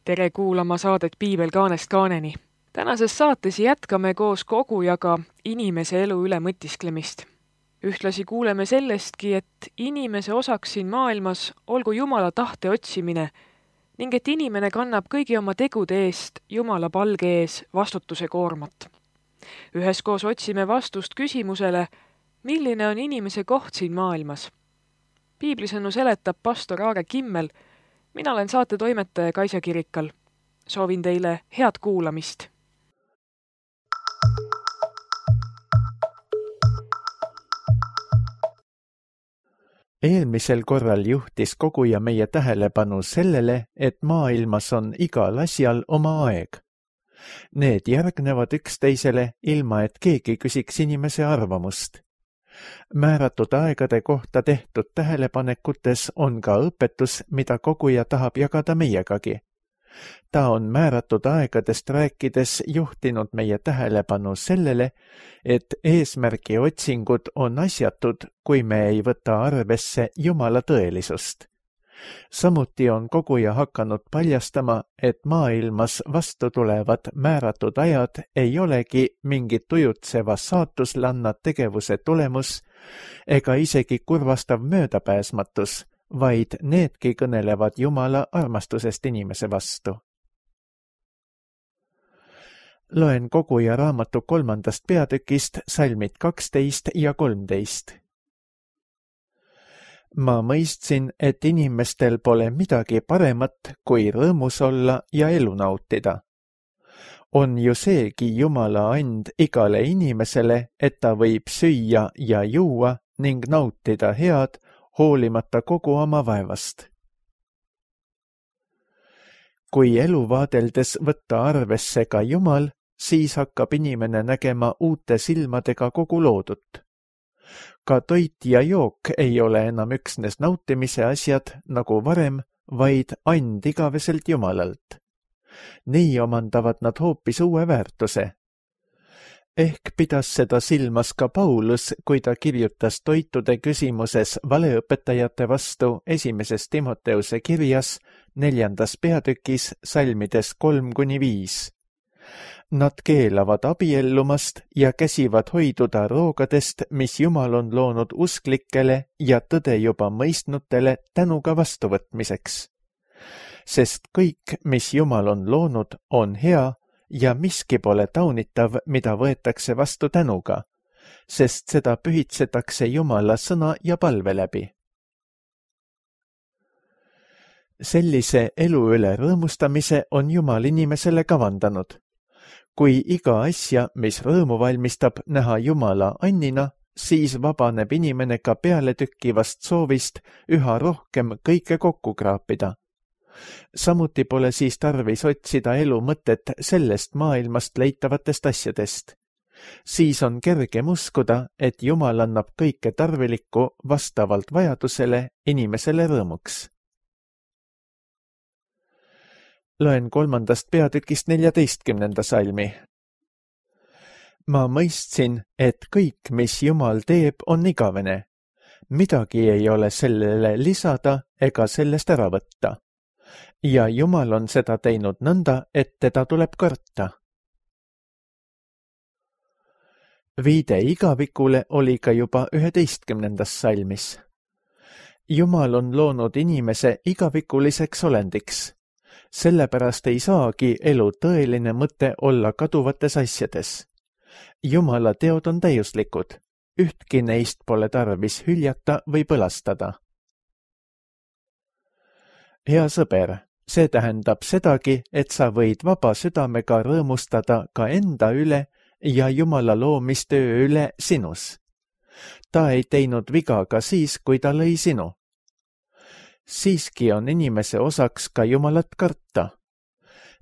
Tere kuulama saadet Piibel kaanest kaaneni. Tänases saates jätkame koos kogujaga inimese elu üle mõtisklemist. Ühtlasi kuuleme sellestki, et inimese osaks siin maailmas olgu Jumala tahte otsimine ning et inimene kannab kõigi oma tegude eest Jumala palge ees vastutuse koormat. Üheskoos otsime vastust küsimusele, milline on inimese koht siin maailmas. Piiblisõnu seletab pastor Aare Kimmel. Mina olen saate toimetaja Kaisa Kirikal. Soovin teile head kuulamist. Eelmisel korral juhtis koguja meie tähelepanu sellele, et maailmas on igal asjal oma aeg. Need järgnevad üksteisele, ilma et keegi küsiks inimese arvamust. Määratud aegade kohta tehtud tähelepanekutes on ka õpetus, mida koguja tahab jagada meiegagi. Ta on määratud aegadest rääkides juhtinud meie tähelepanu sellele, et eesmärgi otsingud on asjatud, kui me ei võta arvesse Jumala tõelisust. Samuti on koguja hakanud paljastama, et maailmas vastu tulevad määratud ajad ei olegi mingit ujutseva saatuslanna tegevuse tulemus ega isegi kurvastav möödapääsmatus, vaid needki kõnelevad Jumala armastusest inimese vastu. Loen koguja raamatu 3. peatükist salmid 12 ja 13. Ma mõistsin, et inimestel pole midagi paremat, kui rõõmus olla ja elu nautida. On ju seegi Jumala and igale inimesele, et ta võib süüa ja juua ning nautida head, hoolimata kogu oma vaevast. Kui elu vaadeldes võtta arvesse ka Jumal, siis hakkab inimene nägema uute silmadega kogu loodut. Ka toit ja jook ei ole enam üksnes nautimise asjad nagu varem, vaid and igaveselt Jumalalt. Nii omandavad nad hoopis uue väärtuse. Ehk pidas seda silmas ka Paulus, kui ta kirjutas toitude küsimuses valeõpetajate vastu 1. Timoteuse kirjas 4. peatükis salmides 3-5. Nad keelavad abiellumast ja käsivad hoiduda roogadest, mis Jumal on loonud usklikele ja tõde juba mõistnutele tänuga vastuvõtmiseks. Sest kõik, mis Jumal on loonud, on hea ja miski pole taunitav, mida võetakse vastu tänuga, sest seda pühitsetakse Jumala sõna ja palve läbi. Sellise elu üle rõõmustamise on Jumal inimesele kavandanud. Kui iga asja, mis rõõmu valmistab, näha Jumala annina, siis vabaneb inimene ka pealetykkivast soovist üha rohkem kõike kokku kraapida. Samuti pole siis tarvis otsida elu mõtet sellest maailmast leitavatest asjadest. Siis on kergem uskuda, et Jumal annab kõike tarvilikku vastavalt vajadusele inimesele rõõmuks. Loen 3. peatükist 14. salmi. Ma mõistsin, et kõik, mis Jumal teeb, on igavene. Midagi ei ole sellele lisada ega sellest ära võtta. Ja Jumal on seda teinud nõnda, et teda tuleb karta. Viide igavikule oli ka juba 11. salmis. Jumal on loonud inimese igavikuliseks olendiks. Sellepärast ei saagi elu tõeline mõte olla kaduvates asjades. Jumala teod on täiuslikud, ühtki neist pole tarvis hüljata või põlastada. Hea sõber, see tähendab sedagi, et sa võid vaba südamega rõõmustada ka enda üle ja Jumala loomistöö üle sinus. Ta ei teinud viga ka siis, kui ta lõi sinu. Siiski on inimese osaks ka Jumalat karta.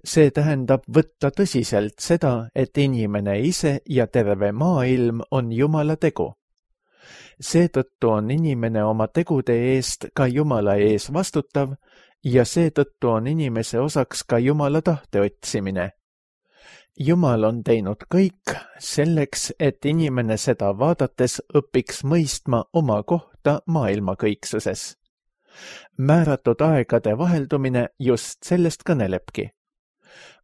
See tähendab võtta tõsiselt seda, et inimene ise ja terve maailm on Jumala tegu. Seetõttu on inimene oma tegude eest ka Jumala ees vastutav ja seetõttu on inimese osaks ka Jumala tahte otsimine. Jumal on teinud kõik selleks, et inimene seda vaadates õpiks mõistma oma kohta maailma kõiksuses. Määratud aegade vaheldumine just sellest kõnelebki.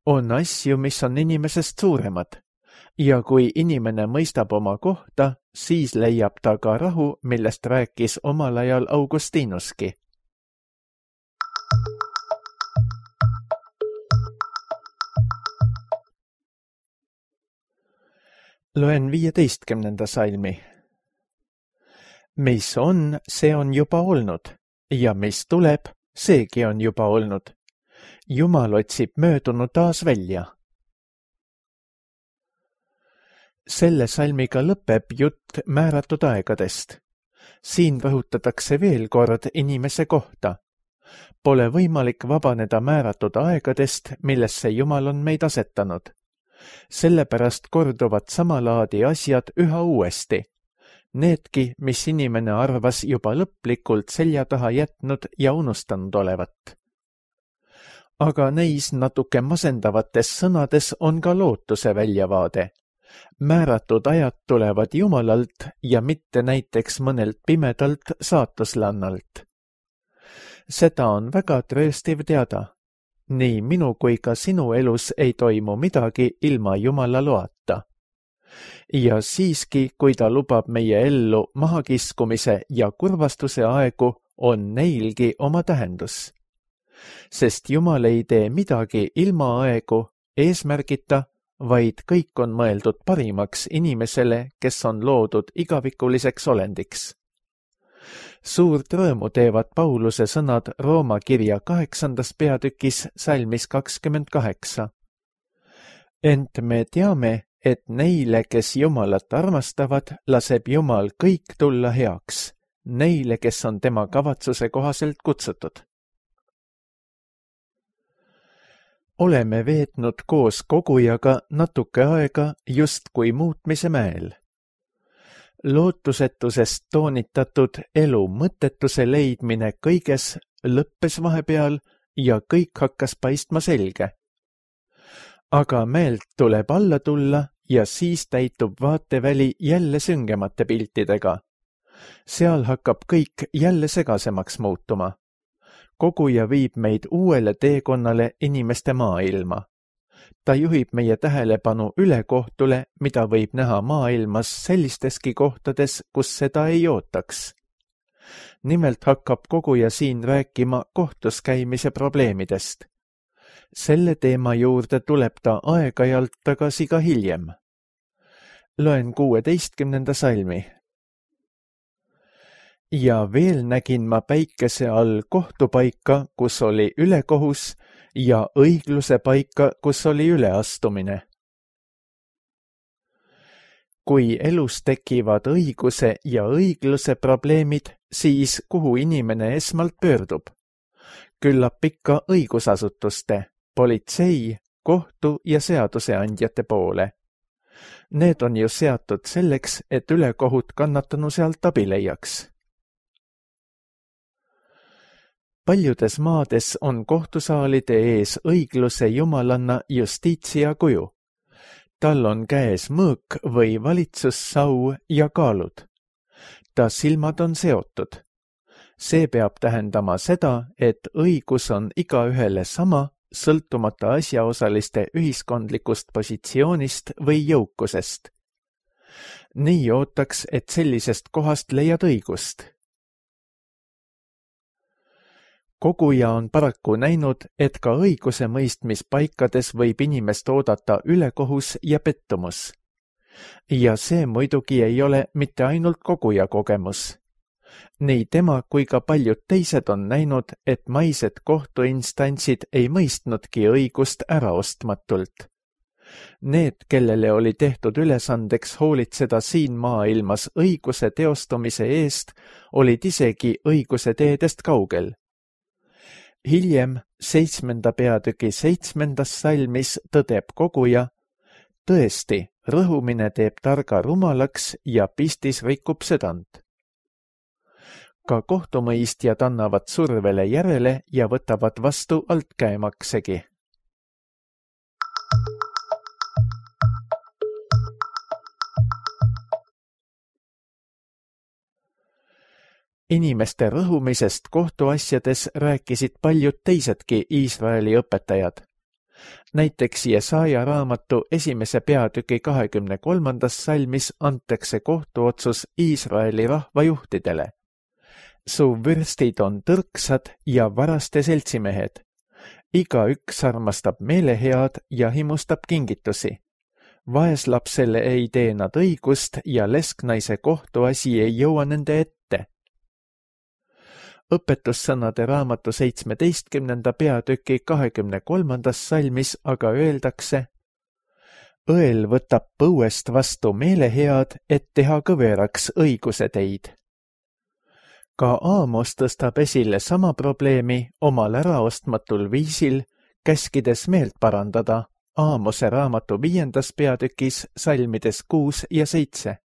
On asju, mis on inimesest suuremad ja kui inimene mõistab oma kohta, siis leiab ta ka rahu, millest rääkis omal ajal Augustinuski. Loen 15. salmi. Mis on, see on juba olnud ja mis tuleb, seegi on juba olnud. Jumal otsib möödunu taas välja. Selle salmiga lõpeb jutt määratud aegadest. Siin rõhutatakse veel kord inimese kohta. Pole võimalik vabaneda määratud aegadest, millesse Jumal on meid asetanud. Sellepärast korduvad samalaadi asjad üha uuesti. Needki, mis inimene arvas juba lõplikult selja taha jätnud ja unustanud olevat. Aga neis natuke masendavates sõnades on ka lootuse väljavaade. Määratud ajad tulevad Jumalalt ja mitte näiteks mõnelt pimedalt saatuslannalt. Seda on väga trööstiv teada. Nii minu kui ka sinu elus ei toimu midagi ilma Jumala loata. Ja siiski, kui ta lubab meie ellu mahakiskumise ja kurvastuse aegu, on neilgi oma tähendus. Sest Jumal ei tee midagi ilma aegu, eesmärgita, vaid kõik on mõeldud parimaks inimesele, kes on loodud igavikuliseks olendiks. Suurt rõõmu teevad Pauluse sõnad Rooma kirja 8. peatükis salmis 28. Ent me teame, et neile, kes Jumalat armastavad, laseb Jumal kõik tulla heaks, neile, kes on tema kavatsuse kohaselt kutsutud. Oleme veetnud koos kogujaga natuke aega justkui muutmise mäel. Lootusetusest toonitatud elu mõttetuse leidmine kõiges lõppes vahepeal ja kõik hakkas paistma selge. Aga mäelt tuleb alla tulla ja siis täitub vaateväli jälle süngemate piltidega. Seal hakkab kõik jälle segasemaks muutuma. Koguja viib meid uuele teekonnale inimeste maailma. Ta juhib meie tähelepanu ülekohtule, mida võib näha maailmas sellisteski kohtades, kus seda ei ootaks. Nimelt hakkab koguja siin rääkima kohtus käimise probleemidest. Selle teema juurde tuleb ta aeg-ajalt tagasi ka hiljem. Loen 16. salmi. Ja veel nägin ma päikese all kohtupaika, kus oli ülekohus, ja õigluse paika, kus oli üleastumine. Kui elus tekivad õiguse ja õigluse probleemid, siis kuhu inimene esmalt pöördub? Küllap ikka õigusasutuste, politsei, kohtu ja seaduseandjate poole. Need on ju seatud selleks, et ülekohut kannatanu sealt abi leiaks. Paljudes maades on kohtusaalide ees õigluse jumalanna justiitsia kuju. Tal on käes mõõk või valitsussau ja kaalud. Ta silmad on seotud. See peab tähendama seda, et õigus on igaühele sama, sõltumata asjaosaliste ühiskondlikust positsioonist või jõukusest. Nii ootaks, et sellisest kohast leiad õigust. Koguja on paraku näinud, et ka õiguse mõistmispaikades võib inimest oodata ülekohus ja pettumus. Ja see muidugi ei ole mitte ainult koguja kogemus. Nii tema kui ka paljud teised on näinud, et maised kohtuinstantsid ei mõistnudki õigust äraostmatult. Need, kellele oli tehtud ülesandeks hoolitseda siin maailmas õiguse teostumise eest, olid isegi õiguse teedest kaugel. Hiljem 7. peatüki 7. salmis tõdeb koguja, tõesti, rõhumine teeb targa rumalaks ja pistis rikub südant. Ka kohtumõistjad annavad survele järele ja võtavad vastu altkäemaksegi. Inimeste rõhumisest kohtuasjades rääkisid paljud teisedki Iisraeli õpetajad. Näiteks Jesaja raamatu 1. peatüki 23. salmis antakse kohtuotsus Iisraeli rahvajuhtidele. Su vürstid on tõrksad ja varaste seltsimehed. Igaüks armastab meelehead ja himustab kingitusi. Vaeslapsele ei tee nad õigust ja lesknaise kohtuasi ei jõua nende ette. Õpetussõnade raamatu 17. peatüki 23. salmis aga öeldakse: õel võtab põuest vastu meelehead, et teha kõveraks õiguse teid. Ka Aamos tõstab esile sama probleemi omal äraostmatul viisil, käskides meelt parandada Aamose raamatu 5. peatükis salmides 6 ja 7.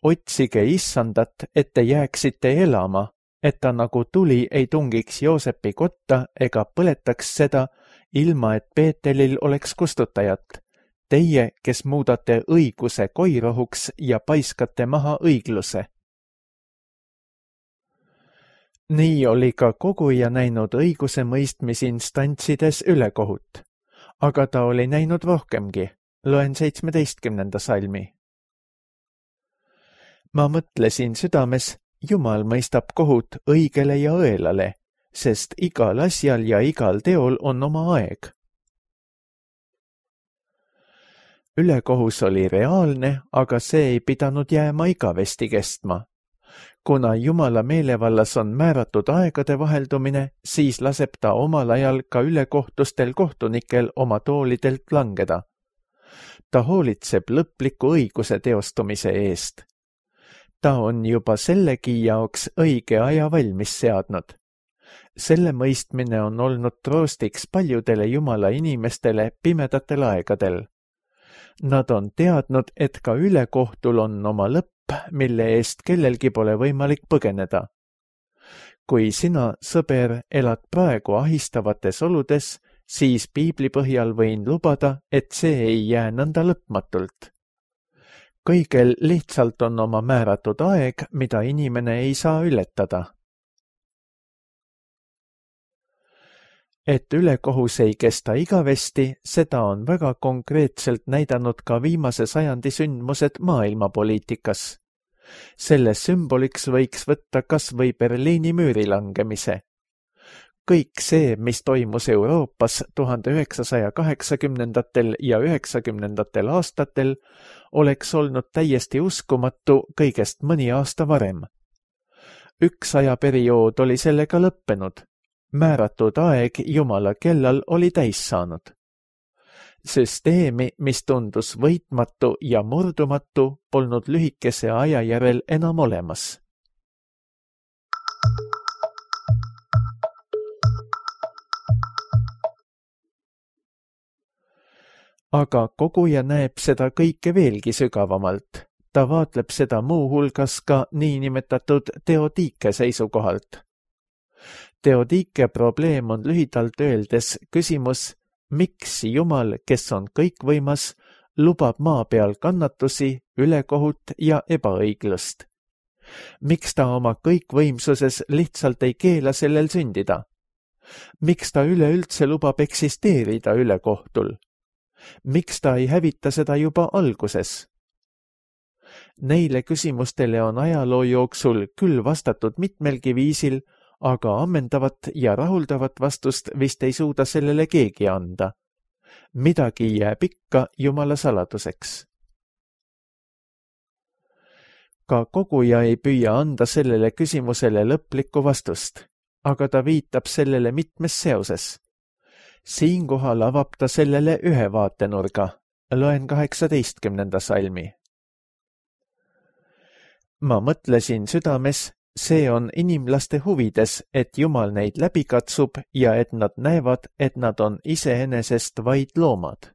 Otsige issandat, et te jääksite elama, et ta nagu tuli ei tungiks Joosepi kotta ega põletaks seda, ilma et Peetelil oleks kustutajat. Teie, kes muudate õiguse koirohuks ja paiskate maha õigluse. Nii oli ka koguja näinud õiguse mõistmisinstantsides ülekohut, aga ta oli näinud rohkemgi. Loen 17. salmi. Ma mõtlesin südames, Jumal mõistab kohut õigele ja õelale, sest igal asjal ja igal teol on oma aeg. Ülekohus oli reaalne, aga see ei pidanud jääma igavesti kestma. Kuna Jumala meelevallas on määratud aegade vaheldumine, siis laseb ta omal ajal ka ülekohtustel kohtunikel oma toolidelt langeda. Ta hoolitseb lõpliku õiguse teostumise eest. Ta on juba sellegi jaoks õige aja valmis seadnud. Selle mõistmine on olnud troostiks paljudele Jumala inimestele pimedatel aegadel. Nad on teadnud, et ka ülekohtul on oma lõpp, mille eest kellelgi pole võimalik põgeneda. Kui sina, sõber, elad praegu ahistavates oludes, siis piibli põhjal võin lubada, et see ei jää nõnda lõpmatult. Kõigel lihtsalt on oma määratud aeg, mida inimene ei saa ületada. Et ülekohus ei kesta igavesti, seda on väga konkreetselt näidanud ka viimase sajandi sündmused maailmapoliitikas. Selle sümboliks võiks võtta kas või Berliini müüri langemise. Kõik see, mis toimus Euroopas 1980. ja 90. aastatel, oleks olnud täiesti uskumatu kõigest mõni aasta varem. Üks ajaperiood oli sellega lõppenud. Määratud aeg Jumala kellal oli täis saanud. Süsteemi, mis tundus võitmatu ja murdumatu, polnud lühikese aja järel enam olemas. Aga koguja näeb seda kõike veelgi sügavamalt. Ta vaatleb seda muu hulgas ka niinimetatud teodiike seisukohalt. Teodiike probleem on lühidalt öeldes küsimus, miks Jumal, kes on kõikvõimas, lubab maa peal kannatusi, ülekohut ja ebaõiglust. Miks ta oma kõikvõimsuses lihtsalt ei keela sellel sündida? Miks ta üleüldse lubab eksisteerida ülekohtul? Miks ta ei hävita seda juba alguses? Neile küsimustele on ajaloo jooksul küll vastatud mitmelgi viisil, aga ammendavat ja rahuldavat vastust vist ei suuda sellele keegi anda. Midagi jääb ikka Jumala saladuseks. Ka koguja ei püüa anda sellele küsimusele lõplikku vastust, aga ta viitab sellele mitmes seoses. Siinkohal avab ta sellele ühe vaatenurga. Loen 18. salmi. Ma mõtlesin südames, see on inimlaste huvides, et Jumal neid läbi katsub ja et nad näevad, et nad on iseenesest vaid loomad.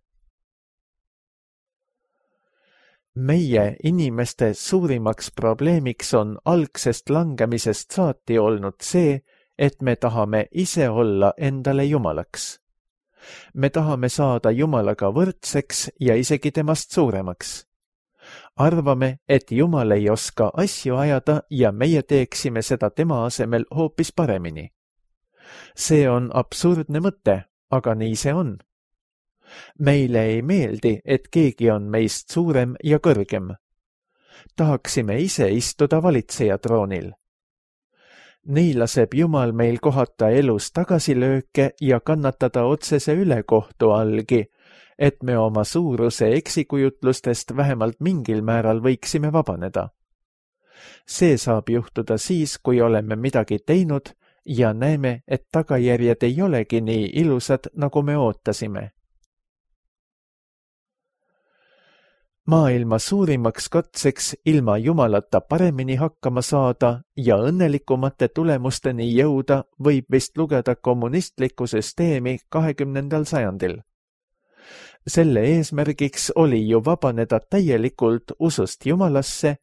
Meie inimeste suurimaks probleemiks on algsest langemisest saati olnud see, et me tahame ise olla endale Jumalaks. Me tahame saada Jumalaga võrdseks ja isegi temast suuremaks. arvame, et Jumal ei oska asju ajada ja meie teeksime seda tema asemel hoopis paremini. See on absurdne mõte, aga nii see on. Meile ei meeldi, et keegi on meist suurem ja kõrgem. Tahaksime ise istuda valitseja troonil. Nii laseb Jumal meil kohata elus tagasilööke ja kannatada otsese ülekohtu allgi, et me oma suuruse eksikujutlustest vähemalt mingil määral võiksime vabaneda. See saab juhtuda siis, kui oleme midagi teinud ja näeme, et tagajärjed ei olegi nii ilusad, nagu me ootasime. Maailma suurimaks katseks ilma Jumalata paremini hakkama saada ja õnnelikumate tulemusteni jõuda võib vist lugeda kommunistlikku süsteemi 20. sajandil. Selle eesmärgiks oli ju vabaneda täielikult usust Jumalasse,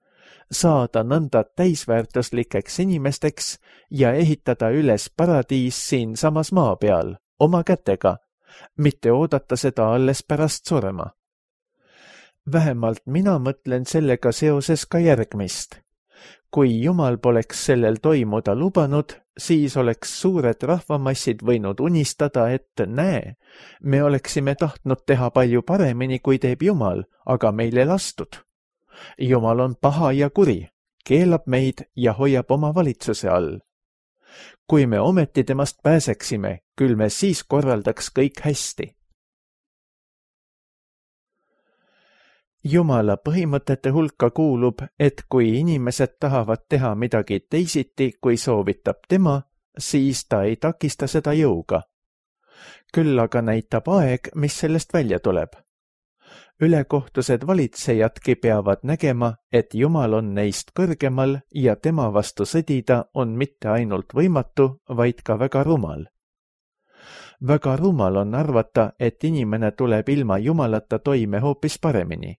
saada nõnda täisväärtuslikeks inimesteks ja ehitada üles paradiis siinsamas maa peal, oma kätega, mitte oodata seda alles pärast surma. Vähemalt mina mõtlen sellega seoses ka järgmist. Kui Jumal poleks sellel toimuda lubanud, siis oleks suured rahvamassid võinud unistada, et näe, me oleksime tahtnud teha palju paremini, kui teeb Jumal, aga meil ei lastud. Jumal on paha ja kuri, keelab meid ja hoiab oma valitsuse all. Kui me ometi temast pääseksime, küll me siis korraldaks kõik hästi. Jumala põhimõtete hulka kuulub, et kui inimesed tahavad teha midagi teisiti, kui soovitab tema, siis ta ei takista seda jõuga. Küll aga näitab aeg, mis sellest välja tuleb. Ülekohtused valitsejadki peavad nägema, et Jumal on neist kõrgemal ja tema vastu sõdida on mitte ainult võimatu, vaid ka väga rumal. Väga rumal on arvata, et inimene tuleb ilma Jumalata toime hoopis paremini.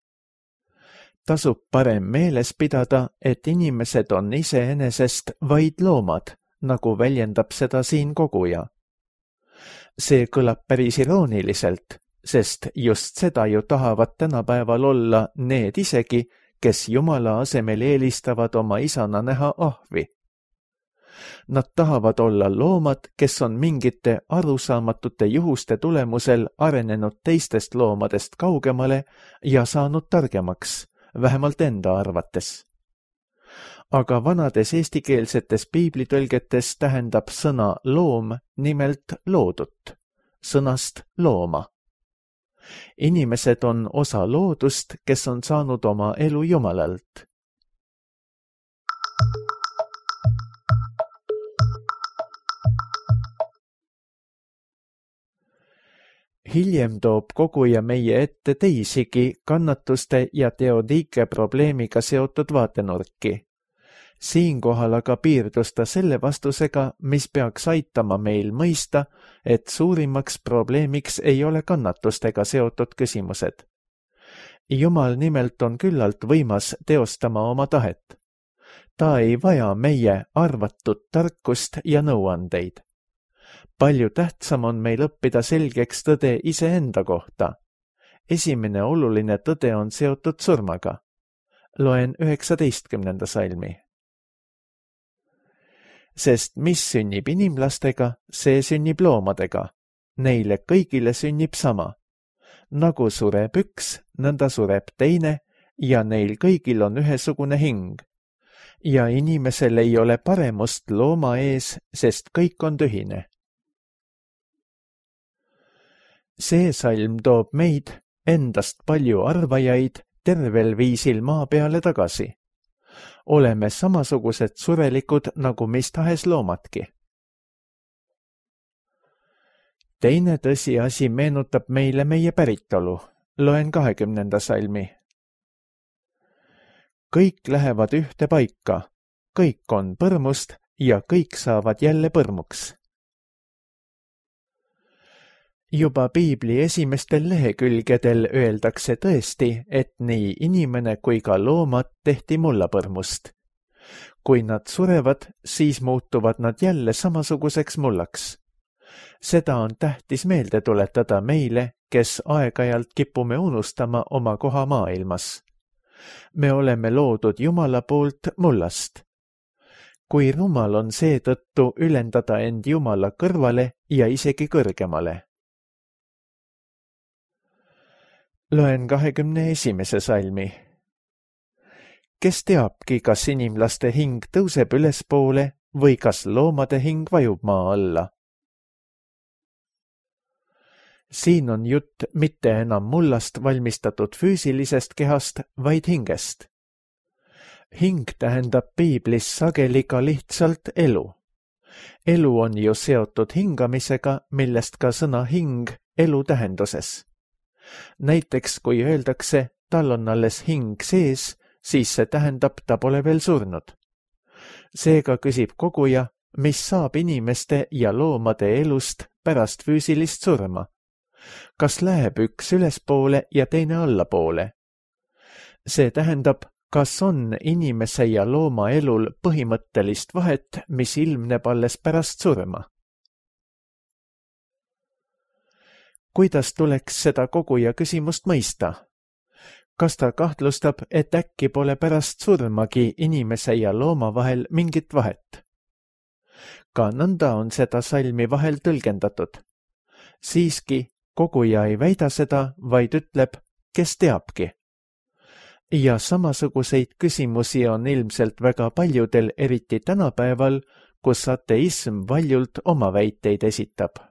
Tasub parem meeles pidada, et inimesed on iseenesest vaid loomad, nagu väljendab seda siin koguja. See kõlab päris irooniliselt, sest just seda ju tahavad tänapäeval olla need isegi, kes Jumala asemel eelistavad oma isana näha ahvi. Nad tahavad olla loomad, kes on mingite arusaamatute juhuste tulemusel arenenud teistest loomadest kaugemale ja saanud targemaks, vähemalt enda arvates. Aga vanades eestikeelsetes piiblitõlgetes tähendab sõna loom nimelt loodut, sõnast looma. Inimesed on osa loodust, kes on saanud oma elu Jumalalt. Hiljem toob koguja meie ette teisigi kannatuste ja teodiike probleemiga seotud vaatenurki. Siinkohal aga piirdus ta selle vastusega, mis peaks aitama meil mõista, et suurimaks probleemiks ei ole kannatustega seotud küsimused. Jumal nimelt on küllalt võimas teostama oma tahet. Ta ei vaja meie arvatud tarkust ja nõuandeid. Palju tähtsam on meil õppida selgeks tõde iseenda kohta. Esimene oluline tõde on seotud surmaga. Loen 19. salmi. Sest mis sünnib inimlastega, see sünnib loomadega. Neile kõigile sünnib sama. Nagu sureb üks, nõnda sureb teine ja neil kõigil on ühesugune hing. Ja inimesel ei ole paremust looma ees, sest kõik on tühine. See salm toob meid, endast palju arvajaid, tervel viisil maa peale tagasi. Oleme samasugused surelikud nagu mis tahes loomadki. Teine tõsiasi meenutab meile meie päritolu. Loen 20. salmi. Kõik lähevad ühte paika, kõik on põrmust ja kõik saavad jälle põrmuks. Juba piibli esimestel lehekülgedel öeldakse tõesti, et nii inimene kui ka loomad tehti mullapõrmust. Kui nad surevad, siis muutuvad nad jälle samasuguseks mullaks. Seda on tähtis meelde tuletada meile, kes aeg-ajalt kipume unustama oma koha maailmas. Me oleme loodud Jumala poolt mullast. Kui rumal on seetõttu ülendada end Jumala kõrvale ja isegi kõrgemale. Loen 21. salmi. Kes teabki, kas inimlaste hing tõuseb ülespoole või kas loomade hing vajub maa alla? Siin on jutt mitte enam mullast valmistatud füüsilisest kehast, vaid hingest. Hing tähendab piiblis sageli ka lihtsalt elu. Elu on ju seotud hingamisega, millest ka sõna hing elu tähenduses. Näiteks kui öeldakse, tal on alles hing sees, siis see tähendab, ta pole veel surnud. Seega küsib koguja, mis saab inimeste ja loomade elust pärast füüsilist surma. Kas läheb üks ülespoole ja teine allapoole? See tähendab, kas on inimese ja looma elul põhimõttelist vahet, mis ilmneb alles pärast surma? Kuidas tuleks seda koguja küsimust mõista? Kas ta kahtlustab, et äkki pole pärast surmagi inimese ja looma vahel mingit vahet? Ka nõnda on seda salmi vahel tõlgendatud. Siiski, koguja ei väida seda, vaid ütleb, kes teabki. Ja samasuguseid küsimusi on ilmselt väga paljudel, eriti tänapäeval, kus ateism valjult oma väiteid esitab.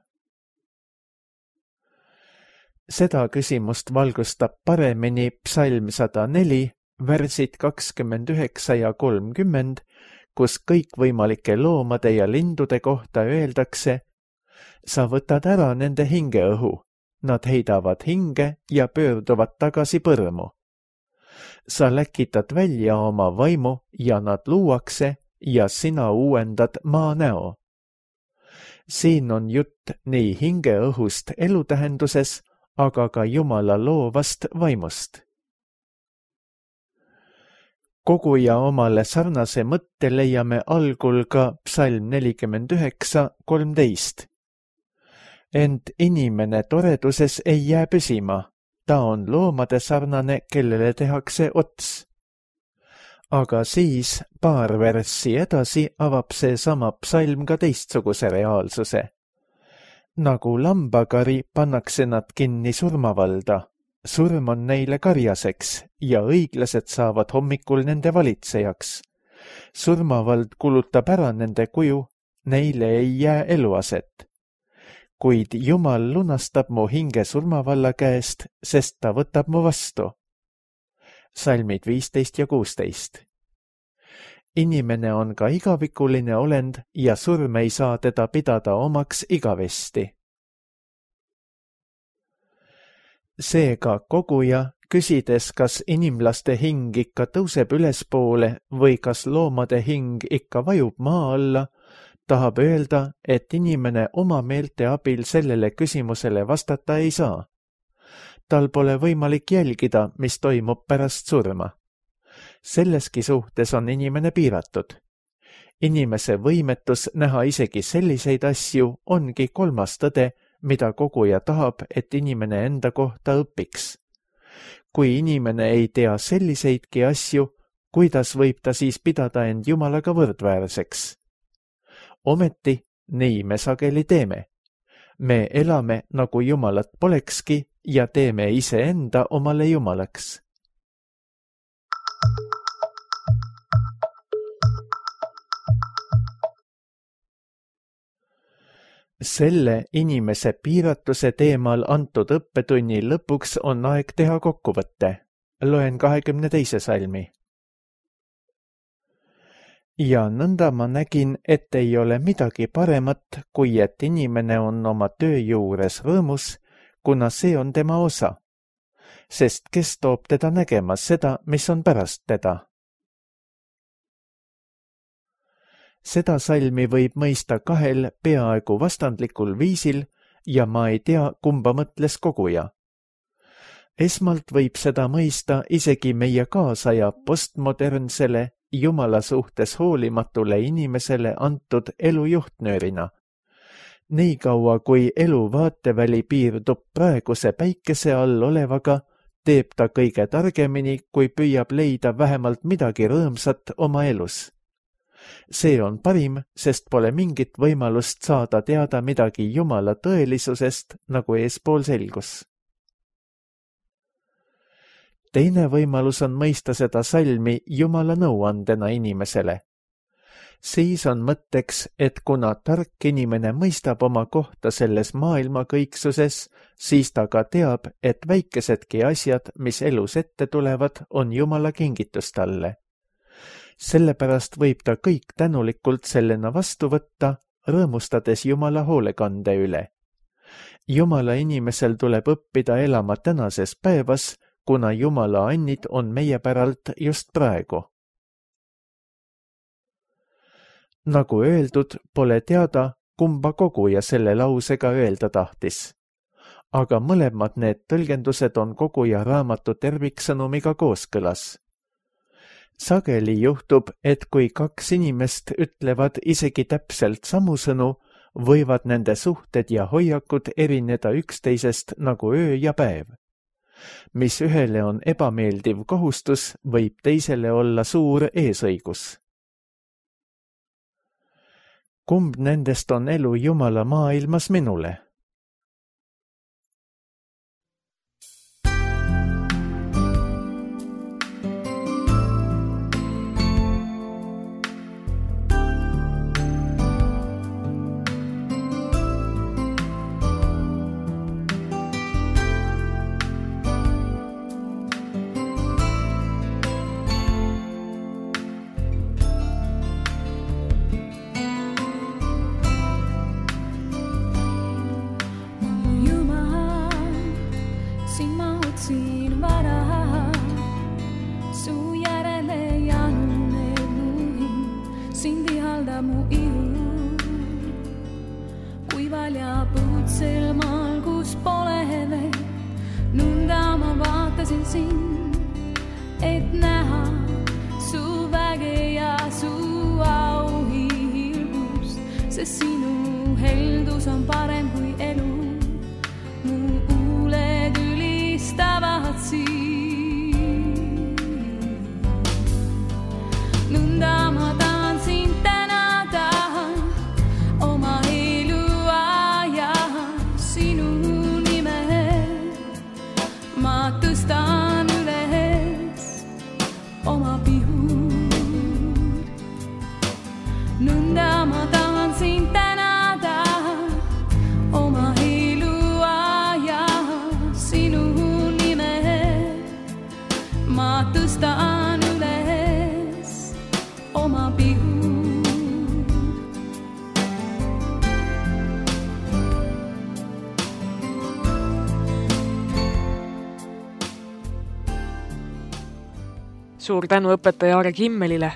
Seda küsimust valgustab paremini psalm 104, värsid 29 ja 30, kus kõikvõimalike loomade ja lindude kohta öeldakse, sa võtad ära nende hingeõhu, nad heidavad hinge ja pöörduvad tagasi põrmu. Sa läkitad välja oma vaimu ja nad luuakse ja sina uuendad maa näo. Siin on jutt nii hingeõhust elutähenduses, aga ka Jumala loovast vaimust. Koguja omale sarnase mõtte leiame algul ka psalm 49:13. Ent inimene toreduses ei jää püsima, ta on loomade sarnane, kellele tehakse ots. Aga siis paar värssi edasi avab see sama psalm ka teistsuguse reaalsuse. Nagu lambakari pannakse nad kinni surmavalda. Surm on neile karjaseks ja õiglased saavad hommikul nende valitsejaks. Surmavald kulutab ära nende kuju, neile ei jää eluaset. Kuid Jumal lunastab mu hinge surmavalla käest, sest ta võtab mu vastu. Salmid 15 ja 16. Inimene on ka igavikuline olend ja surm ei saa teda pidada omaks igavesti. Seega koguja, küsides, kas inimlaste hing ikka tõuseb ülespoole või kas loomade hing ikka vajub maa alla, tahab öelda, et inimene oma meelte abil sellele küsimusele vastata ei saa. Tal pole võimalik jälgida, mis toimub pärast surma. Selleski suhtes on inimene piiratud. Inimese võimetus näha isegi selliseid asju ongi kolmas tõde, mida koguja tahab, et inimene enda kohta õpiks. Kui inimene ei tea selliseidki asju, kuidas võib ta siis pidada end Jumalaga võrdväärseks? Ometi, nii me sageli teeme. Me elame, nagu Jumalat polekski ja teeme iseenda omale Jumalaks. Selle inimese piiratuse teemal antud õppetunni lõpuks on aeg teha kokkuvõtte. Loen 22. salmi. Ja nõnda ma nägin, et ei ole midagi paremat, kui et inimene on oma töö juures rõõmus, kuna see on tema osa. Sest kes toob teda nägema seda, mis on pärast teda? Seda salmi võib mõista kahel peaaegu vastandlikul viisil ja ma ei tea, kumba mõtles koguja. Esmalt võib seda mõista isegi meie kaasaja postmodernsele, Jumala suhtes hoolimatule inimesele antud elu juhtnöörina. Nii kaua, kui elu vaateväli piirdub praeguse päikese all olevaga, teeb ta kõige targemini, kui püüab leida vähemalt midagi rõõmsat oma elus. See on parim, sest pole mingit võimalust saada teada midagi Jumala tõelisusest, nagu eespool selgus. Teine võimalus on mõista seda salmi Jumala nõuandena inimesele. Siis on mõtteks, et kuna tark inimene mõistab oma kohta selles maailma kõiksuses, siis ta ka teab, et väikesedki asjad, mis elus ette tulevad, on Jumala kingitus talle. Sellepärast võib ta kõik tänulikult sellena vastu võtta, rõõmustades Jumala hoolekande üle. Jumala inimesel tuleb õppida elama tänases päevas, kuna Jumala annid on meie päralt just praegu. Nagu öeldud, pole teada, kumba koguja selle lausega öelda tahtis. Aga mõlemad need tõlgendused on koguja raamatu terviksõnumiga kooskõlas. Sageli juhtub, et kui kaks inimest ütlevad isegi täpselt samu sõnu, võivad nende suhted ja hoiakud erineda üksteisest nagu öö ja päev. Mis ühele on ebameeldiv kohustus, võib teisele olla suur eesõigus. Kumb nendest on elu Jumala maailmas minule? Et näha su väge ja su auhiilgust, sest sinu heldus on parem kui elu. Mu huuled ülistavad sind. Nõnda ma tahan sind tänada oma eluaja sinu nime. Ma tõstan oma pihud. Nõnda ma tahan sind tänada oma eluaja sinu nime. Ma tõstan üles oma pihud. Suur tänu õpetaja Aare Kimmelile.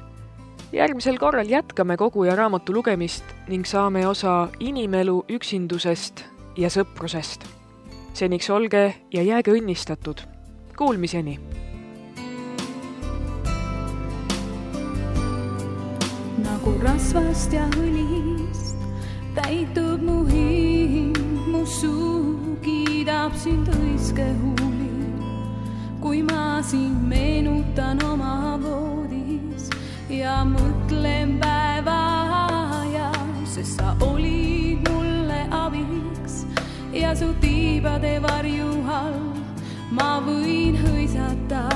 Järgmisel korral jätkame koguja raamatu lugemist ning saame osa inimelu üksindusest ja sõprusest. Seniks olge ja jääge õnnistatud. Kuulmiseni! Nagu rasvast ja õlist täitub mu hing, mu suu kiidab sind õiske huuli. Kui ma sind meenutan oma voodis ja mõtlen päeva aja, sest sa olid mulle abiks ja su tiibade varju all ma võin hõisata.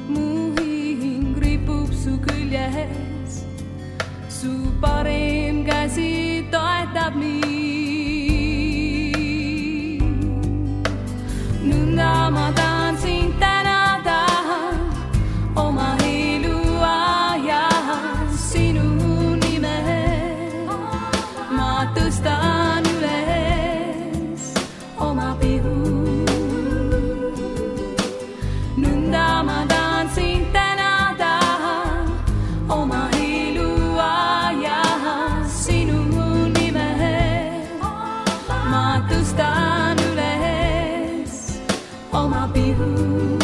Mu hing ripub su küljes, su parem käsi toetab mind. Nõnda ma tahan sind tänada oma eluaja sinu nime. Ma tõstan üles oma pihud. Nõnda ma tahan sind tänada oma eluaja sinu nime. Ma tõstan üles oma pihud.